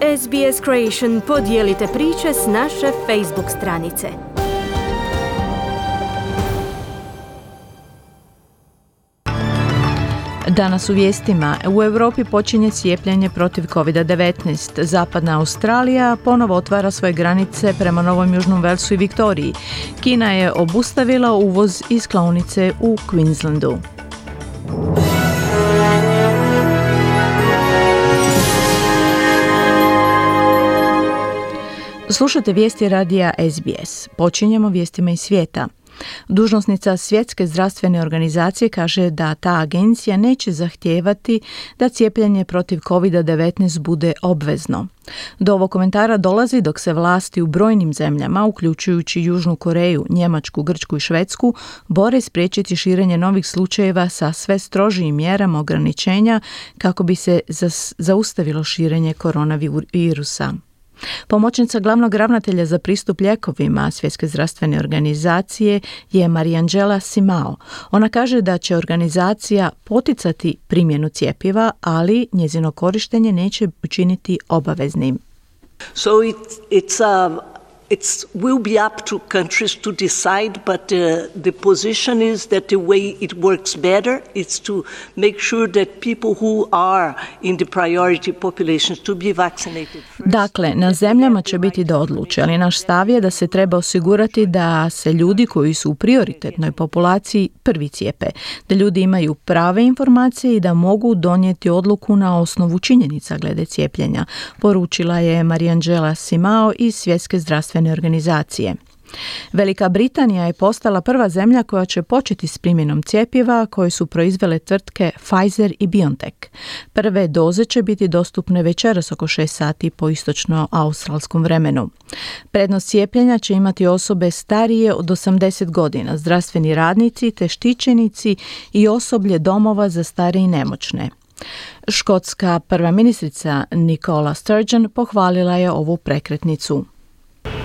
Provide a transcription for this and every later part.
SBS Creation, podijelite priče s naše Facebook stranice. Danas u vijestima. U Europi počinje cijepljenje protiv COVID-19. Zapadna Australija ponovo otvara svoje granice prema Novom Južnom Velsu i Viktoriji. Kina je obustavila uvoz iz klaonice u Queenslandu. Slušate vijesti radija SBS. Počinjemo vijestima iz svijeta. Dužnosnica Svjetske zdravstvene organizacije kaže da ta agencija neće zahtijevati da cijepljenje protiv COVID-19 bude obvezno. Do ovog komentara dolazi dok se vlasti u brojnim zemljama, uključujući Južnu Koreju, Njemačku, Grčku i Švedsku, bore spriječiti širenje novih slučajeva sa sve strožijim mjerama ograničenja kako bi se zaustavilo širenje koronavirusa. Pomoćnica glavnog ravnatelja za pristup lijekovima Svjetske zdravstvene organizacije je Mariangela Simao. Ona kaže da će organizacija poticati primjenu cjepiva, ali njezino korištenje neće učiniti obaveznim. So it will be up to countries to decide, but the position is that the way it works better is to make sure that people who are in the priority populations to be vaccinated first. Dakle, na zemljama će biti da odluče, ali naš stav je da se treba osigurati da se ljudi koji su u prioritetnoj populaciji prvi cijepe, da ljudi imaju prave informacije i da mogu donijeti odluku na osnovu činjenica glede cijepljenja, poručila je Mariangela Simao iz Svjetske zdravstvene organizacije. Velika Britanija je postala prva zemlja koja će početi s primjenom cjepiva koje su proizvele tvrtke Pfizer i BioNTech. Prve doze će biti dostupne večeras oko 6 sati po istočno-australskom vremenu. Prednost cijepljenja će imati osobe starije od 80 godina, zdravstveni radnici te štićenici i osoblje domova za stare i nemoćne. Škotska prva ministrica Nicola Sturgeon pohvalila je ovu prekretnicu.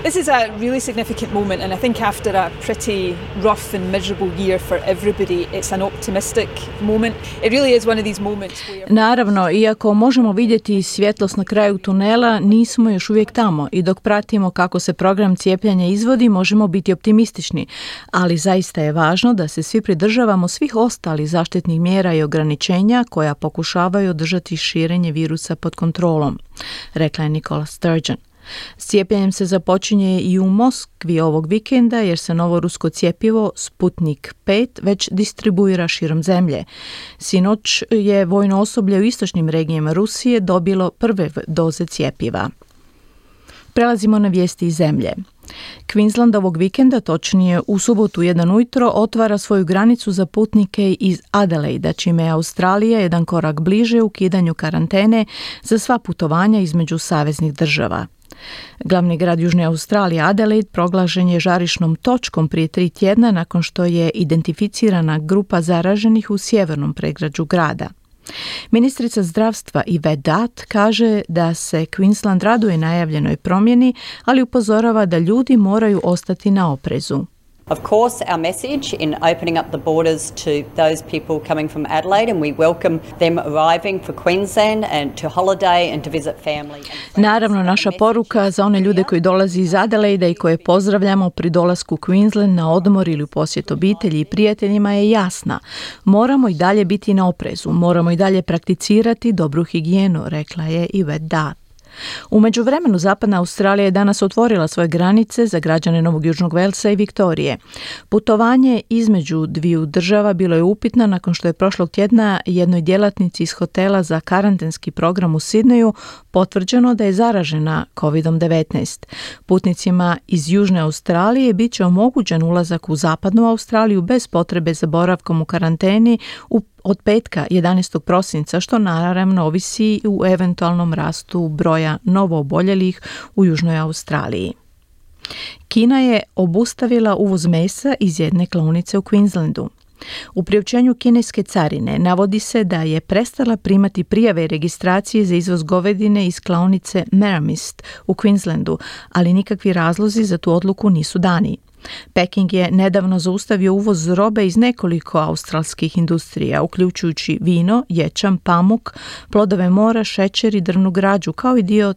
This is a really significant moment, and I think after a pretty rough and miserable year for everybody, it's an optimistic moment. It really is one of these moments where... Naravno, iako možemo vidjeti svjetlost na kraju tunela, nismo još uvijek tamo i dok pratimo kako se program cijepljenja izvodi, možemo biti optimistični, ali zaista je važno da se svi pridržavamo svih ostalih zaštitnih mjera i ograničenja koja pokušavaju održati širenje virusa pod kontrolom, rekla je Nicola Sturgeon. S cijepljenjem se započinje i u Moskvi ovog vikenda jer se novo rusko cjepivo Sputnik 5 već distribuira širom zemlje. Sinoć je vojno osoblje u istočnim regijama Rusije dobilo prve doze cjepiva. Prelazimo na vijesti iz zemlje. Queensland ovog vikenda, točnije u subotu 1 ujutro, otvara svoju granicu za putnike iz Adelaida, čime je Australija jedan korak bliže ukidanju karantene za sva putovanja između saveznih država. Glavni grad Južne Australije, Adelaide, proglašen je žarišnom točkom prije 3 tjedna nakon što je identificirana grupa zaraženih u sjevernom predgrađu grada. Ministrica zdravstva Yvette Dutt kaže da se Queensland raduje najavljenoj promjeni, ali upozorava da ljudi moraju ostati na oprezu. Of course, our message in opening up the borders to those people coming from Adelaide, and we welcome them arriving for Queensland and to holiday and to visit family. Naravno, naša poruka za one ljude koji dolaze iz Adelaida i koje pozdravljamo pri dolasku u Queensland na odmor ili u posjet obitelji i prijateljima je jasna. Moramo i dalje biti na oprezu, moramo i dalje prakticirati dobru higijenu, rekla je Yvette Dutt. U međuvremenu Zapadna Australija je danas otvorila svoje granice za građane Novog Južnog Velsa i Viktorije. Putovanje između dviju država bilo je upitno nakon što je prošlog tjedna jednoj djelatnici iz hotela za karantenski program u Sidneju potvrđeno da je zaražena COVID-19. Putnicima iz Južne Australije bit će omogućen ulazak u Zapadnu Australiju bez potrebe za boravkom u karanteni od petka 11. prosinca, što naravno ovisi u eventualnom rastu broja novooboljelih u Južnoj Australiji. Kina je obustavila uvoz mesa iz jedne klaonice u Queenslandu. U priopćenju kineske carine navodi se da je prestala primati prijave i registracije za izvoz govedine iz klaonice Merrimist u Queenslandu, ali nikakvi razlozi za tu odluku nisu dani. Peking je nedavno zaustavio uvoz robe iz nekoliko australskih industrija, uključujući vino, ječam, pamuk, plodove mora, šećer i drvnu građu, kao i dio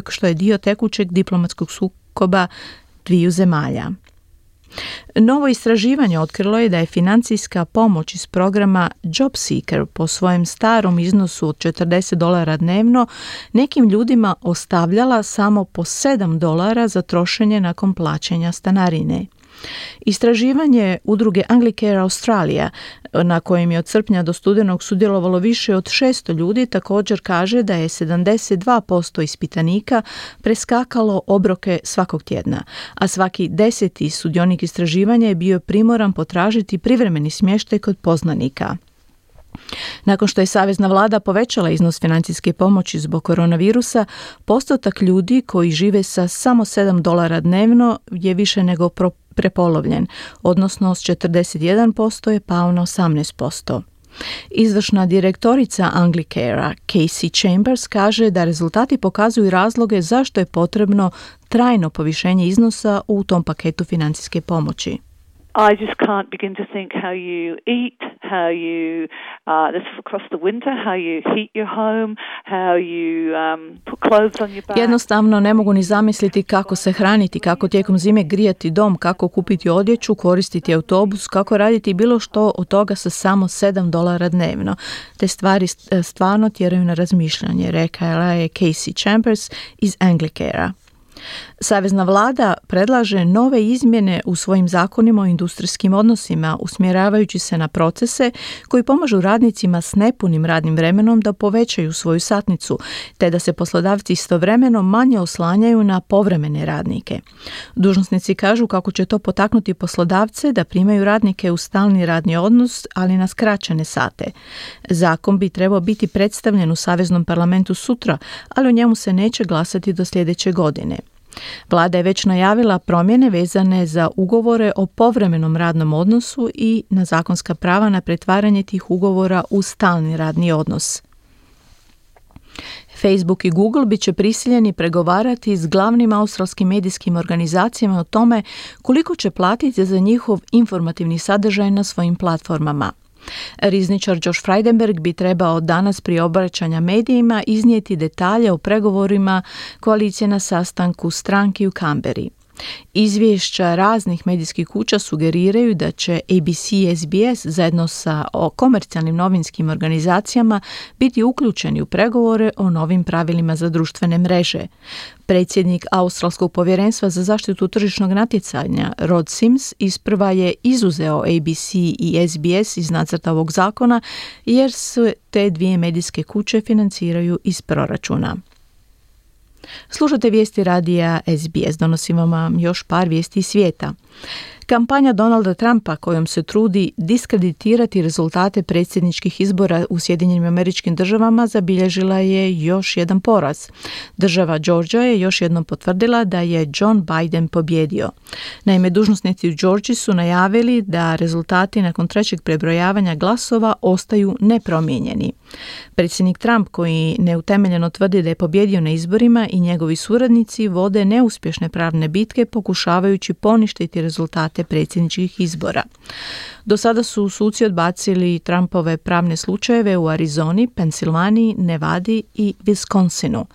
što je dio tekućeg diplomatskog sukoba dviju zemalja. Novo istraživanje otkrilo je da je financijska pomoć iz programa JobSeeker po svojem starom iznosu od $40 dnevno nekim ljudima ostavljala samo po $7 za trošenje nakon plaćanja stanarine. Istraživanje udruge Anglicare Australia, na kojem je od srpnja do studenog sudjelovalo više od 600 ljudi, također kaže da je 72% ispitanika preskakalo obroke svakog tjedna, a svaki 10. sudionik istraživanja je bio primoran potražiti privremeni smještaj kod poznanika. Nakon što je savezna vlada povećala iznos financijske pomoći zbog koronavirusa, postotak ljudi koji žive sa samo $7 dnevno je više nego prepolovljen, odnosno s 41% je pao na 18%. Izvršna direktorica Anglicarea, Casey Chambers, kaže da rezultati pokazuju razloge zašto je potrebno trajno povišenje iznosa u tom paketu financijske pomoći. I just can't begin to think how you eat, how you, this across the winter, how you heat your home, how you put clothes on your back. Jednostavno ne mogu ni zamisliti kako se hraniti, kako tijekom zime grijati dom, kako kupiti odjeću, koristiti autobus, kako raditi bilo što od toga sa samo $7 dnevno. Te stvari stvarno tjeraju na razmišljanje, rekla je Casey Chambers iz Anglicarea. Savezna vlada predlaže nove izmjene u svojim zakonima o industrijskim odnosima, usmjeravajući se na procese koji pomažu radnicima s nepunim radnim vremenom da povećaju svoju satnicu, te da se poslodavci istovremeno manje oslanjaju na povremene radnike. Dužnosnici kažu kako će to potaknuti poslodavce da primaju radnike u stalni radni odnos, ali na skraćene sate. Zakon bi trebao biti predstavljen u Saveznom parlamentu sutra, ali o njemu se neće glasati do sljedeće godine. Vlada je već najavila promjene vezane za ugovore o povremenom radnom odnosu i na zakonska prava na pretvaranje tih ugovora u stalni radni odnos. Facebook i Google bit će prisiljeni pregovarati s glavnim australskim medijskim organizacijama o tome koliko će platiti za njihov informativni sadržaj na svojim platformama. Rizničar Josh Frydenberg bi trebao danas prije obraćanja medijima iznijeti detalje o pregovorima koalicije na sastanku stranki u Canberri. Izvješća raznih medijskih kuća sugeriraju da će ABC i SBS zajedno sa komercijalnim novinskim organizacijama biti uključeni u pregovore o novim pravilima za društvene mreže. Predsjednik Australskog povjerenstva za zaštitu tržišnog natjecanja Rod Sims isprva je izuzeo ABC i SBS iz nacrta ovog zakona jer se te dvije medijske kuće financiraju iz proračuna. Slušate vijesti radija SBS, donosimo vam još par vijesti iz svijeta. Kampanja Donalda Trumpa kojom se trudi diskreditirati rezultate predsjedničkih izbora u Sjedinjenim Američkim Državama zabilježila je još jedan poraz. Država Georgia je još jednom potvrdila da je John Biden pobjedio. Naime, dužnosnici u Georgiji su najavili da rezultati nakon trećeg prebrojavanja glasova ostaju nepromijenjeni. Predsjednik Trump, koji neutemeljeno tvrdi da je pobjedio na izborima, i njegovi suradnici vode neuspješne pravne bitke pokušavajući poništiti rezultate predsjedničkih izbora. Do sada su suci odbacili Trumpove pravne slučajeve u Arizoni, Pensilvaniji, Nevadi i Wisconsinu.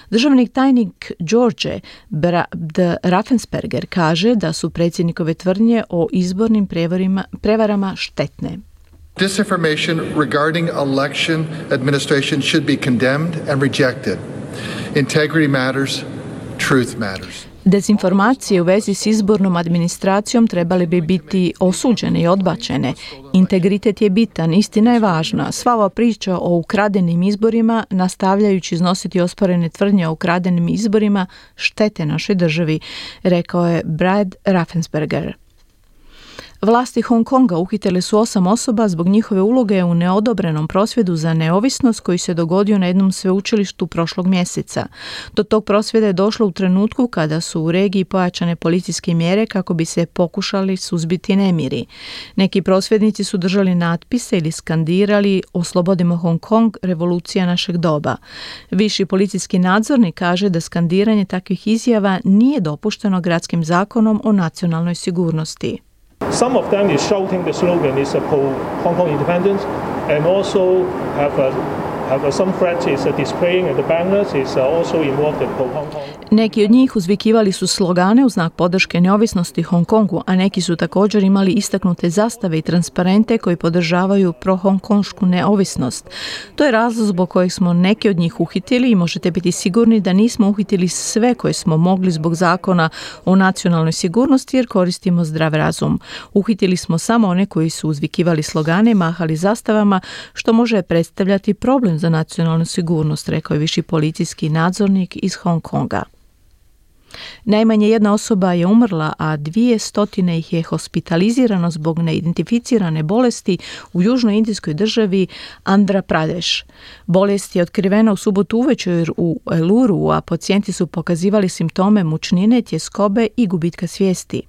Državni tajnik George Brad Raffensperger kaže da su predsjednikove tvrdnje o izbornim prevarama štetne. Disinformation regarding election administration should be condemned and rejected. Integrity matters, truth matters. Dezinformacije u vezi s izbornom administracijom trebali bi biti osuđene i odbačene. Integritet je bitan, istina je važna. Sva ova priča o ukradenim izborima, nastavljajući iznositi osporene tvrdnje o ukradenim izborima, štete našoj državi, rekao je Brad Raffensperger. Vlasti Hong Konga uhitile su 8 osoba zbog njihove uloge u neodobrenom prosvjedu za neovisnost koji se dogodio na jednom sveučilištu prošlog mjeseca. Do tog prosvjeda je došlo u trenutku kada su u regiji pojačane policijske mjere kako bi se pokušali suzbiti nemiri. Neki prosvjednici su držali natpise ili skandirali "Oslobodimo Hong Kong, revolucija našeg doba". Viši policijski nadzornik kaže da skandiranje takvih izjava nije dopušteno gradskim zakonom o nacionalnoj sigurnosti. Some of them is shouting the slogan is Hong Kong independence and also Some threat is displaying and the banners is also involved in Hong Kong. Neki od njih uzvikivali su slogane u znak podrške neovisnosti Hong Kongu, a neki su također imali istaknute zastave i transparente koji podržavaju pro-hongkonšku neovisnost. To je razlog zbog kojeg smo neke od njih uhitili i možete biti sigurni da nismo uhitili sve koje smo mogli zbog zakona o nacionalnoj sigurnosti jer koristimo zdrav razum. Uhitili smo samo one koji su uzvikivali slogane i mahali zastavama, što može predstavljati problem za nacionalnu sigurnost, rekao je viši policijski nadzornik iz Hong Konga. Najmanje jedna osoba je umrla, a 200 ih je hospitalizirano zbog neidentificirane bolesti u južnoj indijskoj državi Andhra Pradesh. Bolest je otkrivena u subotu uvečer u Eluru, a pacijenti su pokazivali simptome mučnine, tjeskobe i gubitka svijesti.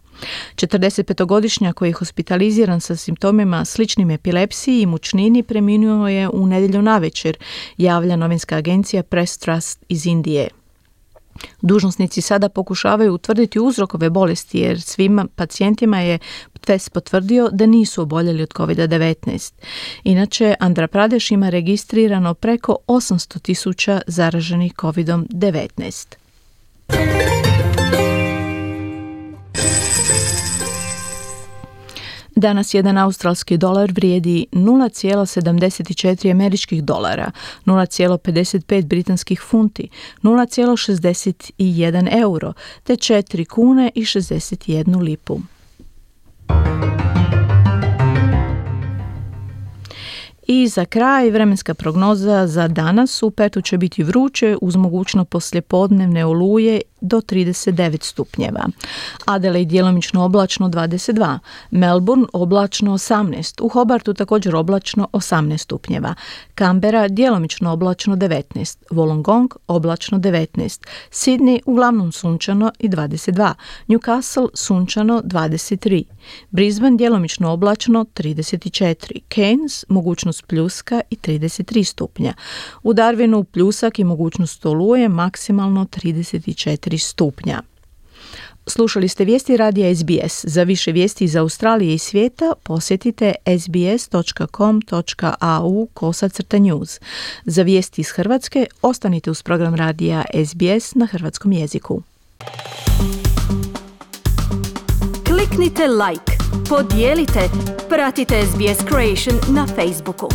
45-godišnjak koji je hospitaliziran sa simptomima sličnim epilepsiji i mučnini preminuo je u nedjelju navečer, javlja novinska agencija Press Trust iz Indije. Dužnosnici sada pokušavaju utvrditi uzrok ove bolesti jer svim pacijentima je test potvrdio da nisu oboljeli od COVID-19. Inače, Andhra Pradesh ima registrirano preko 800,000 zaraženih COVID-19. Danas jedan australski dolar vrijedi 0,74 američkih dolara, 0,55 britanskih funti, 0,61 euro, te 4 kune i 61 lipu. I za kraj vremenska prognoza za danas. U Pertu će biti vruće uz mogućno poslijepodnevne oluje do 39 stupnjeva. Adelaide djelomično oblačno 22, Melbourne oblačno 18, u Hobartu također oblačno 18 stupnjeva, Canberra djelomično oblačno 19, Wollongong oblačno 19, Sydney uglavnom sunčano i 22, Newcastle sunčano 23, Brisbane djelomično oblačno 34, Cairns mogućnost pljuska i 33 stupnja, u Darwinu pljusak i mogućnost oluje maksimalno 34 stupnja. Slušali ste vijesti radija SBS. Za više vijesti iz Australije i svijeta posjetite sbs.com.au/news. Za vijesti iz Hrvatske ostanite uz program radija SBS na hrvatskom jeziku. Kliknite like, podijelite, pratite SBS Creation na Facebooku.